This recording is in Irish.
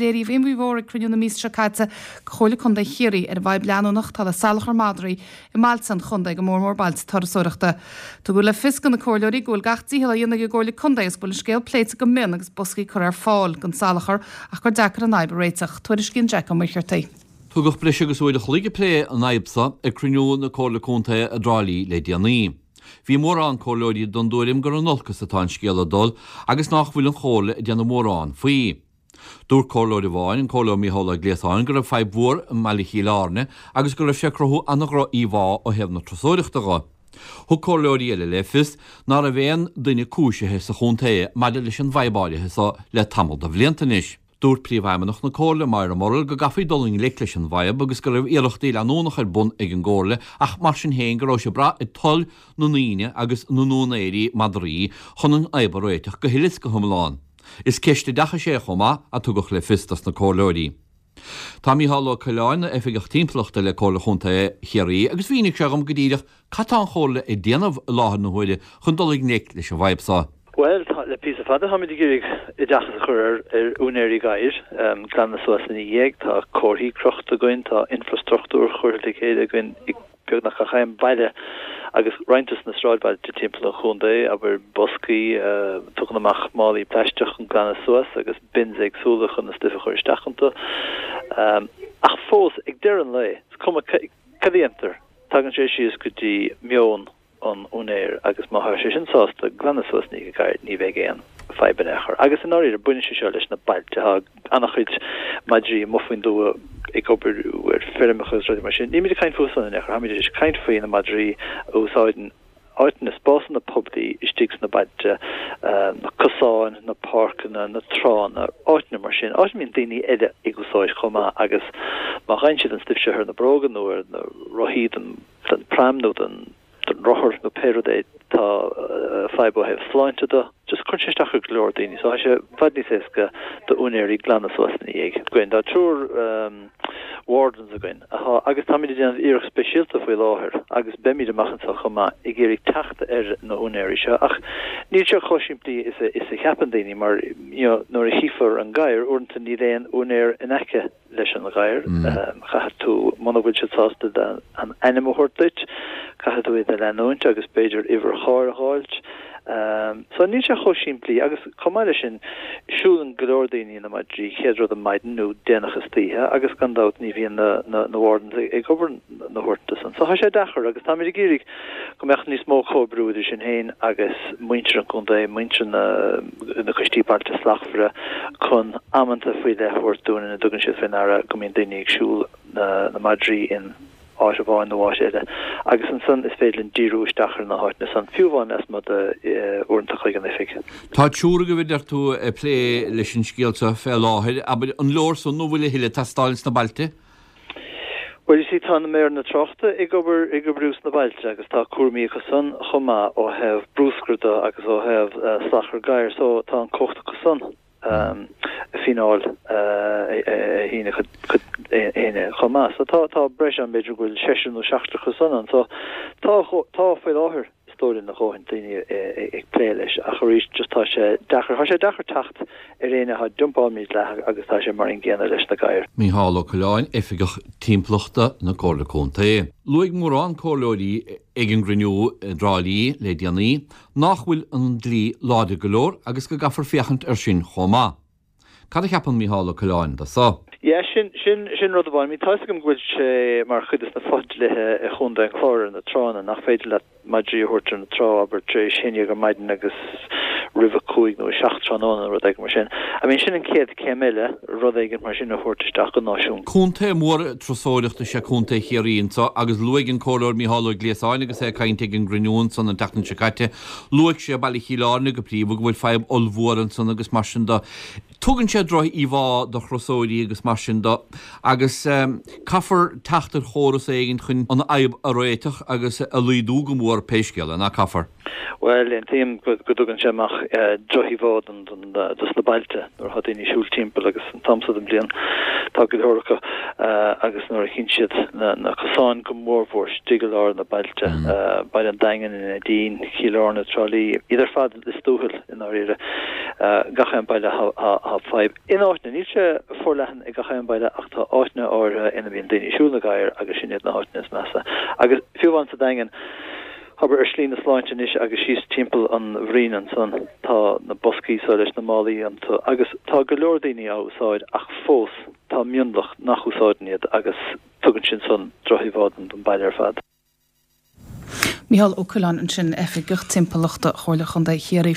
léiríodh imní mhór ag cruinniú na míosa seo caite de Chomhairle Contae Chiarraí ar an bhfadhb leanúnach atá le salachar madraí i mbailte an chontae, go mór mór bailte turasóireachta. Tugadh le fios do na comhairleoirí go bhfuil gach dícheall á dhéanamh ag an gComhairle Contae agus go bhfuil an scéal pléite go mion agus boscaí curtha ar fáil don salachar ach gur deacair an fhadhb a réiteach. Tuairiscíonn Jack Ó Muircheartaigh. Tugadh breis agus uair a chloig ag plé an fhadhb seo ag cruinniú na Comhairle Contae i dTrá Lí le déanaí. Bhí mórán comhairleoirí den dtuairim gur in olcas atá an scéal ag dul agus nách bhfuil an Chomhairle ag déanamh mórán faoi. Dúirt comhairleoir amháin, an Comhairleoir Mícheál Ó Gliasáin, go raibh fadhb mhór i mbaile Chill Airne agus go raibh sé ag cruthú an-dhroch-íomhá ó thaobh na turasóireachta dho. Thug comhairleoirí eile le fios ná raibh aon duine cúisithe sa chontae maidir leis an bhfadhb áirithe so le tamall de bhlianta anois. Dúirt Príomhfheidhmeannach na Comhairle, Moira Murrell, go gcaithfí dul i ngleic leis an bhfadhb agus go raibh iarrachtaí leanúnach ar bun ag an gComhairle ach mar sin féin go raibh sé ag brath ar toil na ndaoine agus na n-úinéirí madraí chun an fhadhb a réiteach go huile is go hiomlán. Is ceist oideachais é chomh maith, a tugadh le fios dos na comhairleoirí. Tá Mícheál Ó Coileáin ina Oifigeach Timpeallachta le Comhairle Chontae Chiarraí agus mhínigh sé dhom go díreach cad tá an Chomhairle ag déanamh i láthair na huaire chun dul i ngleic leis an bhfadhb seo. Bhuel, tá, le píosa fada táimid ag iarraidh oideachas a chur ar ar úinéirí gadhair, glanadh suas ina dhiaidh. Tá comharthaí crochta againn, tá infrastruchtúr curtha le chéile againn i beagnach gach aon bhaile agus roinnt dos na sráidbhailte timpeall an chontae, abair boscaí a tugann amach málaí plaisteach chun glanadh suas agus bins éagsúla chun an stuif a chur isteach iontu. Ach fós, ag deireadh an lae, is cuma cad a dhéantar, tagann sé síos go dtí meon an úinéir agus má tá sé sin sásta glanadh suas ina dhiaidh a ghadhair ní bheidh aon fadhb in aon chor. Agus i ndáiríre baineann sé seo leis na bailte. Tá an-chuid madraí amuigh faoin dtuath ag obair ar feirmeacha agus rudaí mar sin. Nílimid ag caint fúthu san in aon chor. Táimid ag caint faoi na madraí a úsáideann áiteanna, spásanna poiblí istigh sna bailte, na cosáin, na páirceanna, na tránna, áiteanna mar sin, áit a mbíonn daoine eile ag úsáid chomh maith agus má fhaigheann siad an stuif seo ar na bróga nó ar na rothaí den den pram nó den rothar nó pé rud é, tá fadhb ó thaobh sláinte de. Just cuireann sé isteach ar go leor daoine. So tá sé i bhfad níos éasca d'úinéirí glanadh suas ina dhiaidh. Againn. Tá triúr wardens againn atá, agus táimid ag déanamh iarracht speisialta faoi láthair agus beimid amach anseo chomh maith ag iarraidh teacht ar na húinéirí seo ach níl sé chomh simplí is a is a cheapann daoine mar you know nuair a chífear an gadhar uaireanta níl aon úinéir in aice leis an ghadhar. Caithfidh tú, muna bhfuil siad sásta an ainm a thabhairt duit, caithfidh tú iad a leanúint agus b'fhéidir uimhir chairr a dh'fháilt. So níl sé chomh simplí agus chomh maith leis sin, siúlann go leor daoine na madraí chéad rud ar maidin nó déanach istoíche agus gan dabht ní bhíonn na na wardens ag obair na huaireanta san. So tá sé deacair agus táimid ag iarraidh go mbeadh níos mó comhoibriú idir sinn féin agus muintir an chontae, muintir na na coistí Bailte Slachtmhara chun amanta faoi leith a thabhairt dúinn ina dtugann siad faoi ndeara go mbíonn daoine ag siúl na na madraí in áit amháin nó áit eile agus ansan is féidir linn díriú isteach ar na háiteanna san, fiú amháin lasmuigh de uaireanta chuig an oifig. Tá triúr agaibh a deir tú ag plé leis an scéal seo fé láthair, abair, an leor san nó bhfuil a thuilleadh ag teastáil sna bailte? Bhuel, you see, tá na méireanna tráchta ag obair, ag oibriú sna bailte agus tá cúraimí acu san chomh maith ó thaobh bruscair de agus ó thaobh salachar gadhair so tá an cumhacht acu san fíneáil a shíneadh chuig éinne chomh maith. So tá, tá breis ann, b'fhéidir go bhfuil seisear nó seachtar acu san ann. So tá, tá faoi láthair. is dóigh liom a dhóthain daoine ag plé leis ach arís just tá sé deacair, tá sé deacair teacht ar éinne atá ag dumpáil mídhleathach agus tá sé mar an gcéanna leis na gadhair. Mícheál Ó Coileáin, Oifigeach Timpeallachta na Comhairle Contae. Luaigh mórán comhairleoirí ag an gcruinniú i dTrá Lí le déanaí nách bhfuil an dlí láidir go leor agus go gcaithfear féachaint air sin chomh maith. Cad a cheapann Mícheál Ó Coileáin de so? Yeah, sin, sin, sin rud amháin. I mean, tá 'fhios agam go bhfuil sé mar chuid des na fo-dhlíthe i Chontae an Chláir ar na tránna nach féidir leat madraí a thabhairt ar na trá, abair, tar éis a haon déag ar maidin agus roimh a cúig nó a seacht tráthnóna nó rud éigin mar sin. I mean, sin an chéad chéim eile, rud éigin mar sin a thabhairt isteach go náisiúnta. Contae mór turasóireachta is ea Contae Chiarraí anso agus luaigh an Comhairleoir Mícheál Ó Gliasáin agus é ag caint ag an gcruinniú ansan an tseachtain seo caite, Luaigh sé Baile Chill Airne go príomha, go bhfuil fadhb ollmhór ansan agus mar sin de. Tugann sé droch-íomhá do thurasóirí agus mar sin de agus caithfear teacht ar chóras éigin chun an fhadhb a réiteach agus a laghdú go mór pé scéal é, nach caithfear? Bhuel, aontaím go dtugann sé amach drochíomhá dos na bailte nuair atá daoine ag siúl timpeall agus an t-am so den bhliain. Tá go leor acu agus nuair a chíonn siad na cosáin go mórmhór istigh i lár na bailte, Baile an Daingin, an Neidín, Cill Airne, Trá Lí, iad ar fad Lios Tuathail i ndáiríre, gach aon baile tá fadhb. In áiteanna, níl sé forleathan i gach aon baile ach tá áiteanna áirithe ina mbíonn daoine ag siúl na gadhair agus sin iad na háiteanna is measa. Agus fiú amháin sa Daingean, abair ar Slí na Sláinte anois agus síos timpeall an Bhraoin ansan, tá na boscaí so leis na málaí iontu agus tá go leor daoine á úsáid ach fós tá mionlach nach úsáideann iad agus tugann sin san drochíomhá don baile ar fad. Mícheál Ó Coileáin ansin, Oifigeach Timpeallachta Chomhairle Chontae Chiarraí.